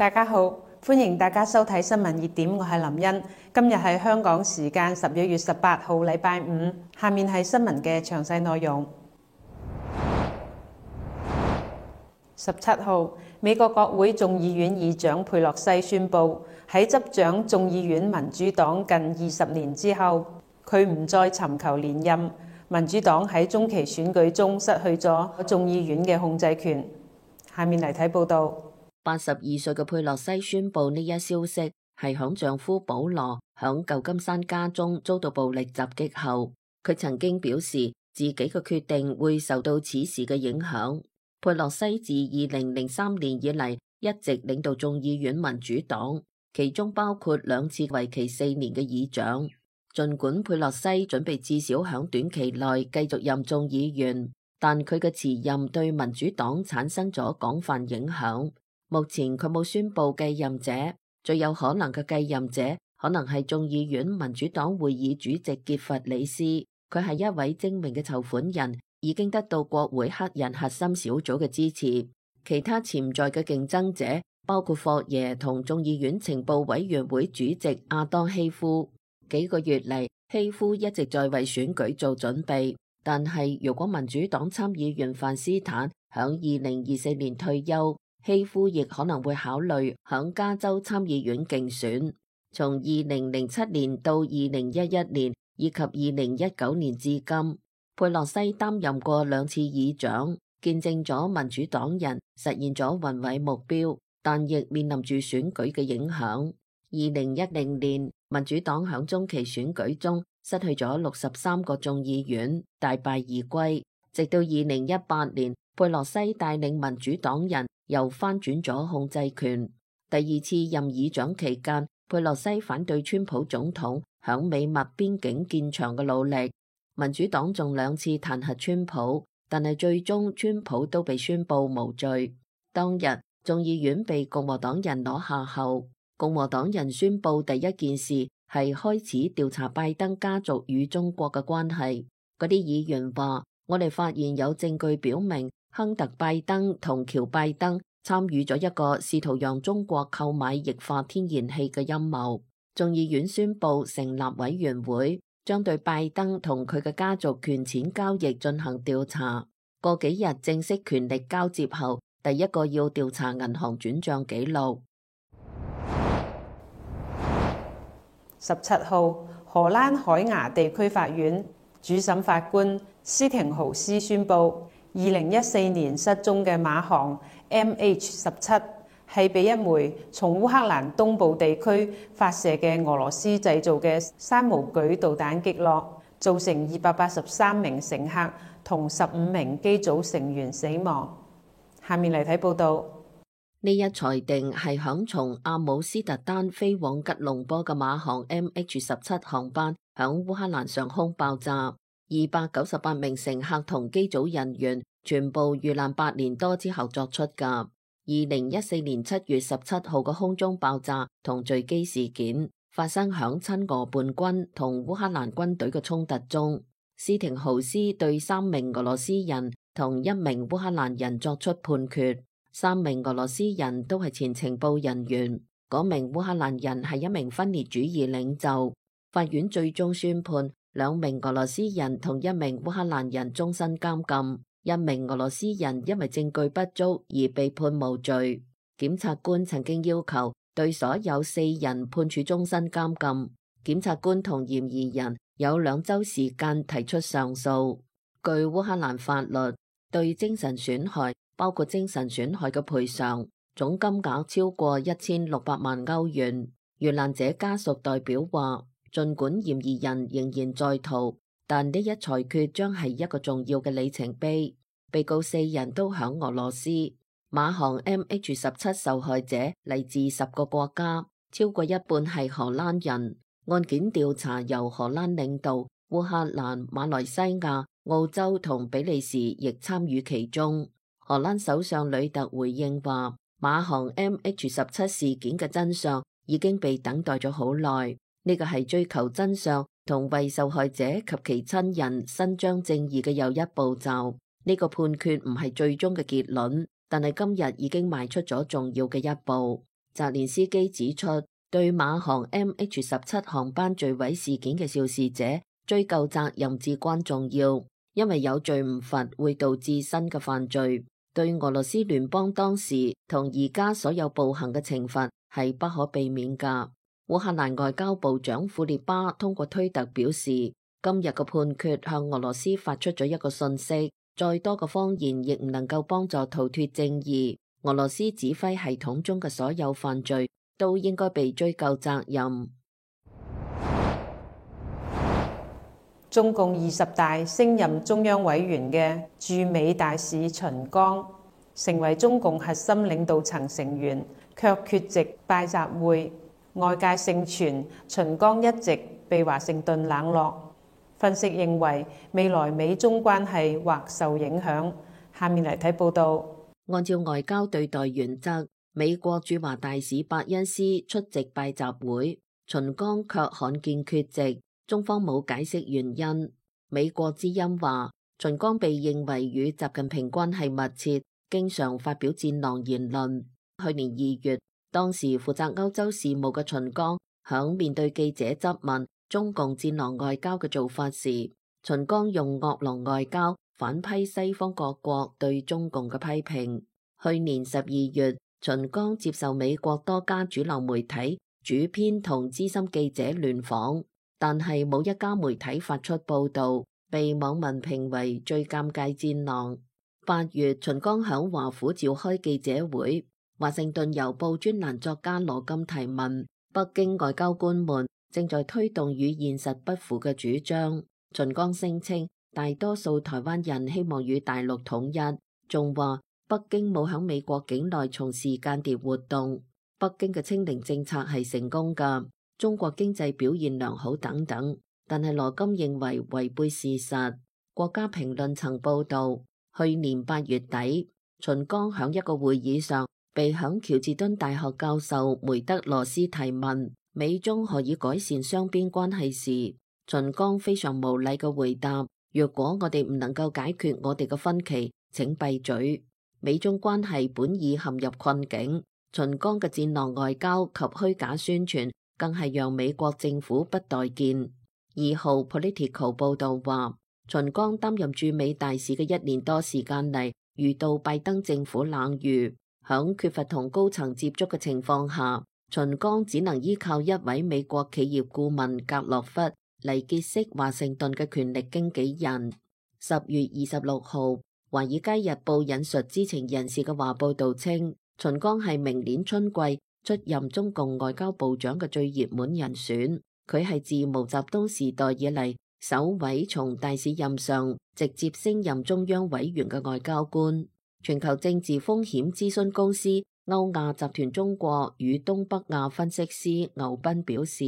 大家好，歡迎大家收睇新聞熱點，我係林茵。今日係香港時間11月18號，禮拜五。下面係新聞嘅詳細內容。17號，美國國會眾議院議長佩洛西宣布，喺執掌眾議院民主黨近20年之後，佢唔再尋求連任。民主黨喺中期選舉中失去咗眾議院嘅控制權。下面嚟睇報道。82歲嘅佩洛西宣布呢一消息，係響丈夫保羅響舊金山家中遭到暴力襲擊後，佢曾經表示自己嘅決定會受到此事嘅影響。佩洛西自2003年以嚟一直領導眾議院民主黨，其中包括2次為期4年嘅議長。儘管佩洛西準備至少響短期內繼續任眾議員，但佢嘅辭任對民主黨產生咗廣泛影響。目前佢冇宣布繼任者，最有可能嘅繼任者可能係眾議院民主黨會議主席傑弗里斯，佢係一位精明嘅籌款人，已經得到國會黑人核心小組嘅支持。其他潛在嘅競爭者包括霍耶同眾議院情報委員會主席亞當希夫。幾個月嚟，希夫一直在為選舉做準備，但係如果民主黨參議員范斯坦響2024年退休，希夫亦可能會考慮響加州參議院競選。從2007年到2011年以及2019年至今，佩洛西擔任過2次議長，見證咗民主黨人實現咗宏偉目標，但亦面臨住選舉嘅影響。2010年，民主黨響中期選舉中失去咗63個眾議院，大敗而歸。直到2018年，佩洛西帶領民主黨人又翻轉咗控制權。第2次任議長期間，佩洛西反對川普總統響美墨邊境建牆嘅努力。民主黨仲2次彈劾川普，但係最終川普都被宣布無罪。當日眾議院被共和黨人攞下後，共和黨人宣布第一件事係開始調查拜登家族與中國嘅關係。嗰啲議員話：我哋發現有證據表明亨特拜登同喬拜登參與咗一個試圖讓中國購買液化天然氣嘅陰謀。眾議院宣布成立委員會，將對拜登同佢嘅家族權錢交易進行調查。過幾日正式權力交接後，第一個要調查銀行轉賬記錄。17號，荷蘭海牙地區法院主審法官斯廷豪斯宣布，2014年失蹤嘅馬航 MH17 係被一枚從烏克蘭東部地區發射嘅俄羅斯製造嘅山毛櫸導彈擊落，造成283名乘客同15名機組成員死亡。下面嚟睇報道。呢一裁定係響從阿姆斯特丹飛往吉隆坡嘅馬航 MH17 航班響烏克蘭上空爆炸，298名乘客同機組人員全部遇難8年多之後作出㗎。2014年7月17號嘅空中爆炸同墜機事件發生響親俄叛軍同烏克蘭軍隊嘅衝突中。斯廷豪斯對3名俄羅斯人同1名烏克蘭人作出判決。3名俄羅斯人都係前情報人員，嗰名烏克蘭人係一名分裂主義領袖。法院最終宣判2名俄羅斯人同1名烏克蘭人終身監禁，1名俄羅斯人因為證據不足而被判無罪。檢察官曾經要求對所有4人判處終身監禁，檢察官同嫌疑人有2週時間提出上訴。據烏克蘭法律，對精神損害包括精神損害嘅賠償總金額超過1600萬歐元。遇難者家屬代表話，儘管嫌疑人仍然在逃，但呢一裁決將係一個重要嘅里程碑。被告4人都響俄羅斯。馬航 MH17 受害者嚟自10個國家，超過一半係荷蘭人。案件調查由荷蘭領導，烏克蘭、馬來西亞、澳洲同比利時亦參與其中。荷蘭首相呂特回應話，馬航 MH17 事件嘅真相已經被等待咗好耐，呢個係追求真相同為受害者及其親人伸張正義嘅又一步驟。呢個判決唔係最終嘅結論，但係今日已經邁出咗重要嘅一步。澤連斯基指出，對馬航 MH17 航班墜毀事件嘅肇事者追究責任至關重要，因為有罪唔罰會導致新嘅犯罪，對俄羅斯聯邦當時同而家所有暴行嘅懲罰係不可避免㗎。烏克蘭外交部長庫列巴通過推特表示，今日嘅判決向俄羅斯發出咗一個訊息，再多嘅謊言亦唔能夠幫助逃脫正義。俄羅斯指揮系統中嘅所有犯罪都應該被追究責任。中共20大升任中央委員嘅駐美大使秦剛成為中共核心領導層成員，卻缺席拜習會。外界盛傳秦剛一直被華盛頓冷落，分析認為未來美中關係或受影響。下面嚟睇報道。按照外交對待原則，美國駐華大使伯恩斯出席拜習會，秦剛卻罕見缺席，中方冇解釋原因。美國之音話，秦剛被認為與習近平關係密切，經常發表戰狼言論。去年2月，當時負責歐洲事務嘅秦剛響面對記者質問中共戰狼外交嘅做法時，秦剛用惡狼外交反批西方各國對中共嘅批評。去年12月，秦剛接受美國多家主流媒體主編同資深記者聯訪，但係冇一家媒體發出報道，被網民評為最尷尬戰狼。8月，秦剛響華府召開記者會。華盛頓郵報專欄作家羅金提問，北京外交官們正在推動與現實不符嘅主張。秦剛聲稱，大多數台灣人希望與大陸統一，仲話北京冇響美國境內從事間諜活動，北京嘅清零政策係成功㗎，中國經濟表現良好等等。但係羅金認為違背事實。國家評論曾報道，去年8月底，秦剛響一個會議上被響喬治敦大學教授梅德羅斯提問美中何以改善雙邊關係時，秦剛非常無禮嘅回答：若果我哋唔能夠解決我哋嘅分歧，請閉嘴。美中關係本已陷入困境，秦剛嘅戰狼外交及虛假宣傳更係讓美國政府不待見。2號 Political 報道話，秦剛擔任駐美大使嘅1年多時間嚟，遇到拜登政府冷遇。響缺乏同高層接觸嘅情況下，秦剛只能依靠一位美國企業顧問格洛弗嚟結識華盛頓嘅權力經紀人。10月26號，華爾街日報引述知情人士嘅話報道稱，秦剛係明年春季出任中共外交部長嘅最熱門人選。佢係自毛澤東時代以嚟首位從大使任上直接升任中央委員嘅外交官。全球政治風險諮詢公司歐亞集團中國與東北亞分析師牛斌表示，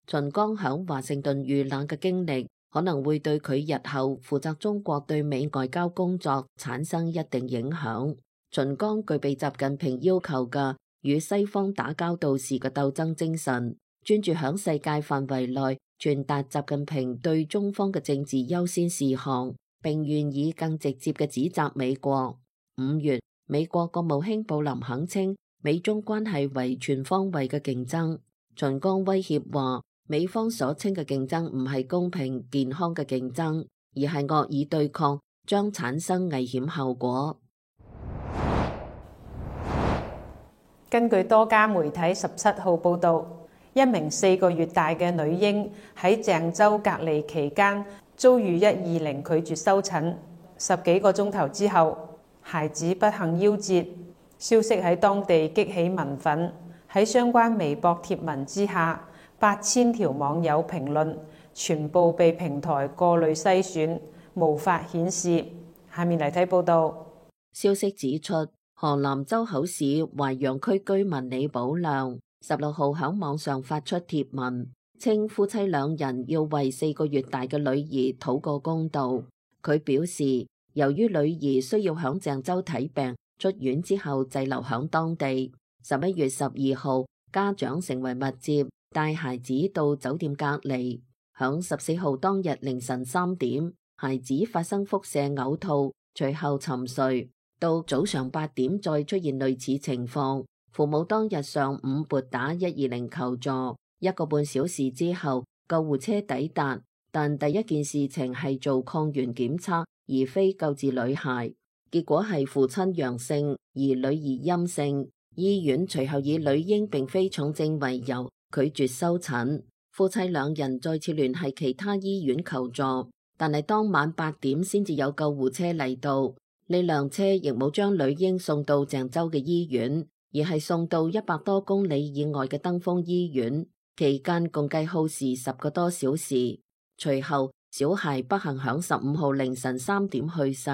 秦剛響華盛頓遇冷嘅經歷可能會對佢日後負責中國對美外交工作產生一定影響。秦剛具備習近平要求嘅與西方打交道時嘅鬥爭精神，專注響世界範圍內傳達習近平對中方嘅政治優先事項，並願意更直接嘅指責美國。5月，美國國務卿布林肯稱美中關係為全方位嘅競爭。秦剛威脅話，美方所稱嘅競爭唔係公平健康嘅競爭，而係惡意對抗，將產生危險後果。根據多家媒體17號報道，一名4個月大嘅女嬰喺鄭州隔離期間遭遇120拒絕收診，10幾個鐘頭之後，孩子不幸夭折，消息喺當地激起民憤。喺相關微博貼文之下，8000條網友評論全部被平台過濾篩選，無法顯示。下面嚟睇報道。消息指出，河南周口市淮陽區居民李寶亮16號喺網上發出貼文，稱夫妻2人要為4個月大嘅女兒討個公道。佢表示，由於女兒需要響鄭州睇病，出院之後滯留響當地。11月12號，家長成為密接，帶孩子到酒店隔離。響14號當日凌晨3點，孩子發生腹瀉嘔吐，隨後沉睡。到早上8點再出現類似情況，父母當日上午撥打120求助，1個半小時之後救護車抵達，但第一件事情係做抗原檢測，而非救治女孩。結果係父親陽性，而女兒陰性。醫院隨後以女嬰並非重症為由拒絕收診。夫妻兩人再次聯繫其他醫院求助，但係當晚8點先至有救護車嚟到。呢輛車亦冇將女嬰送到鄭州嘅醫院，而係送到100多公里以外嘅登封醫院。期間共計耗時10個多小時。隨後，小孩不幸響15號凌晨3點去世。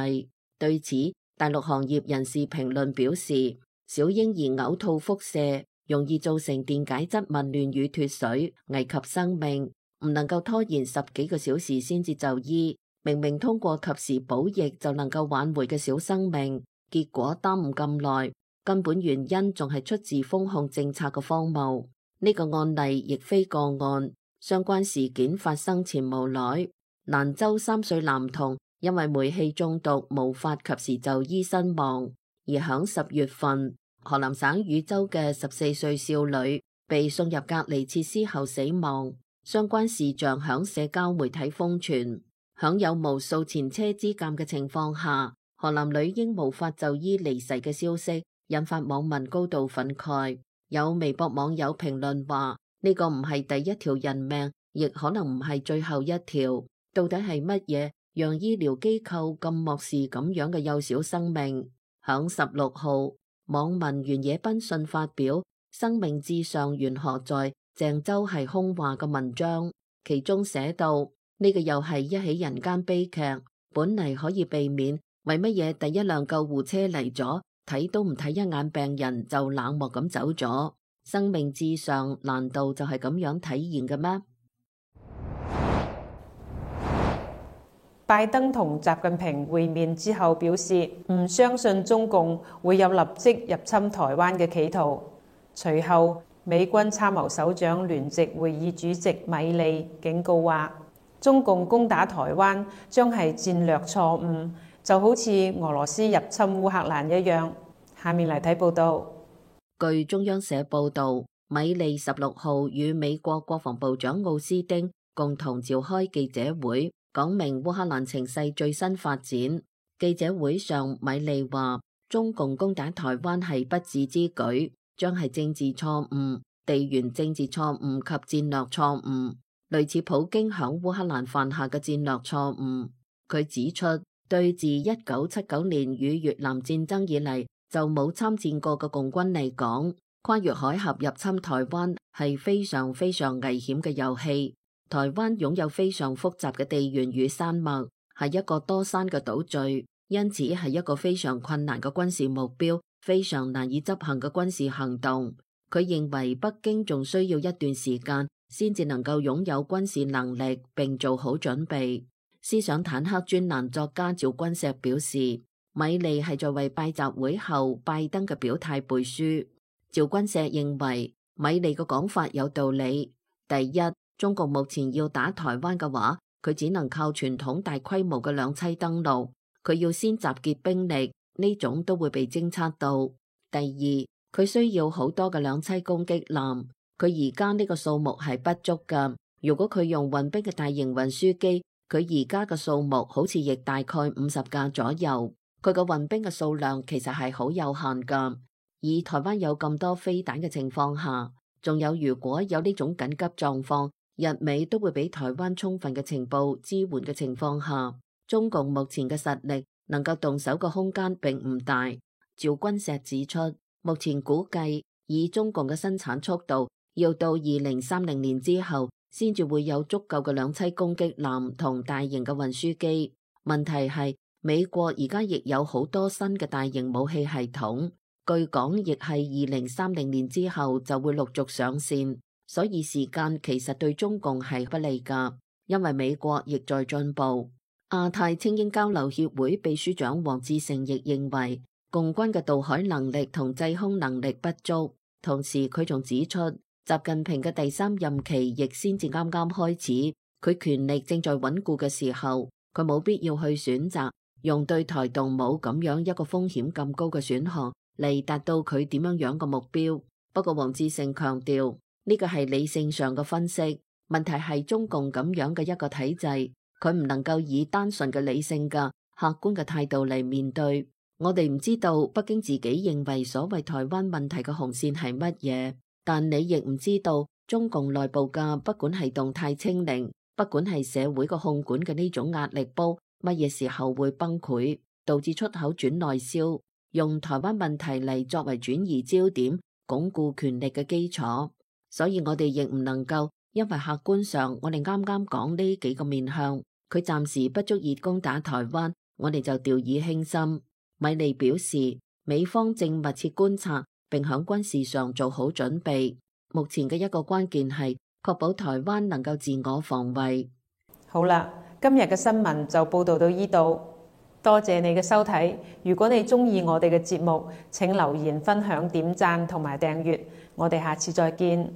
對此，大陸行業人士評論表示，小嬰兒嘔吐腹瀉，容易造成電解質紊亂與脫水，危及生命，唔能夠拖延10幾個小時先至就醫。明明通過及時補液就能夠挽回嘅小生命，結果耽誤咁耐，根本原因仲係出自封控政策嘅荒謬。呢個案例亦非個案，相關事件發生前無耐，蘭州3歲男童因為煤氣中毒無法及時就醫身亡，而響10月份，河南省禹州嘅14歲少女被送入隔離設施後死亡，相關事象響社交媒體瘋傳。響有無數前車之鑑嘅情況下，河南女嬰無法就醫離世嘅消息引發網民高度憤慨。有微博網友評論話：呢個唔係第一條人命，亦可能唔係最後一條。到底係乜嘢讓醫療機構咁漠視咁樣嘅幼小生命？響16號，網民原野奔信發表生命至上緣何在，鄭州係空話嘅文章，其中寫到：呢個又係一起人間悲劇，本嚟可以避免，為乜嘢第一輛救護車嚟咗，睇都唔睇一眼病人就冷漠咁走咗？生命至上難道就係咁樣體現嘅咩？拜登同習近平會面之後表示，唔相信中共會有立即入侵台灣嘅企圖。隨後，美軍參謀首長聯席會議主席米利警告話，中共攻打台灣將係戰略錯誤，就好似俄羅斯入侵烏克蘭一樣。下面嚟睇報道。據中央社報道，米利16號與美國國防部長奧斯丁共同召開記者會，講明烏克蘭情勢最新發展。記者會上，米利話，中共攻打台灣係不智之舉，將係政治錯誤、地緣政治錯誤及戰略錯誤，類似普京響烏克蘭犯下嘅戰略錯誤。佢指出，對自1979年與越南戰爭以嚟就冇參戰過嘅共軍嚟講，跨越海峽入侵台灣係非常非常危險嘅遊戲。台灣擁有非常複雜嘅地緣與山脈，係一個多山嘅島嶼，因此係一個非常困難嘅軍事目標，非常難以執行嘅軍事行動。佢認為北京仲需要一段時間先至能夠擁有軍事能力並做好準備。思想坦克專欄作家趙君石表示，米利係在為拜習會後拜登嘅表態背書。趙君石認為米利嘅講法有道理。第一，中國目前要打台灣嘅話，佢只能靠傳統大規模嘅兩棲登陸，佢要先集結兵力，呢種都會被偵測到。第二，佢需要好多嘅兩棲攻擊艦，佢而家呢個數目係不足㗎。如果佢用運兵嘅大型運輸機，佢而家嘅數目好似亦大概50架左右。佢嘅運兵嘅數量其實係好有限㗎。以台灣有咁多飛彈嘅情況下，仲有如果有呢種緊急狀況，日美都會俾台灣充分嘅情報支援嘅情況下，中共目前嘅實力能夠動手嘅空間並唔大。趙君石指出，目前估計以中共嘅生產速度，要到2030年之後，先至會有足夠嘅兩棲攻擊艦同大型嘅運輸機。問題係美國而家亦有好多新嘅大型武器系統，據講亦係2030年之後就會陸續上線。所以時間其實對中共係不利㗎，因為美國亦在進步。亞太青英交流協會秘書長黃志成亦認為，共軍嘅渡海能力同制空能力不足。同時佢仲指出，習近平嘅第3任期亦先至啱啱開始，佢權力正在穩固嘅時候，佢冇必要去選擇用對台動武咁樣一個風險咁高嘅選項嚟達到佢點樣嘅目標。不過黃志勝強調，呢個係理性上嘅分析，問題係中共咁樣嘅一個體制，佢唔能夠以單純嘅理性嘅客觀嘅態度嚟面對。我哋唔知道北京自己認為所謂台灣問題嘅紅線係乜嘢，但你亦唔知道中共內部嘅不管係動態清零，不管係社會嘅控管嘅呢種壓力煲，乜嘢時候會崩潰，導致出口轉內銷，用台灣問題嚟作為轉移焦點、鞏固權力嘅基礎。所以我哋亦唔能夠因為客觀上我哋啱啱講呢幾個面向，佢暫時不足以攻打台灣，我哋就掉以輕心。米利表示，美方正密切觀察並響軍事上做好準備。目前嘅一個關鍵係確保台灣能夠自我防衛。好啦，今日嘅新聞就報道到呢度，多謝你嘅收睇。如果你鍾意我哋嘅節目，請留言、分享、點讚同埋訂閱。我哋下次再見。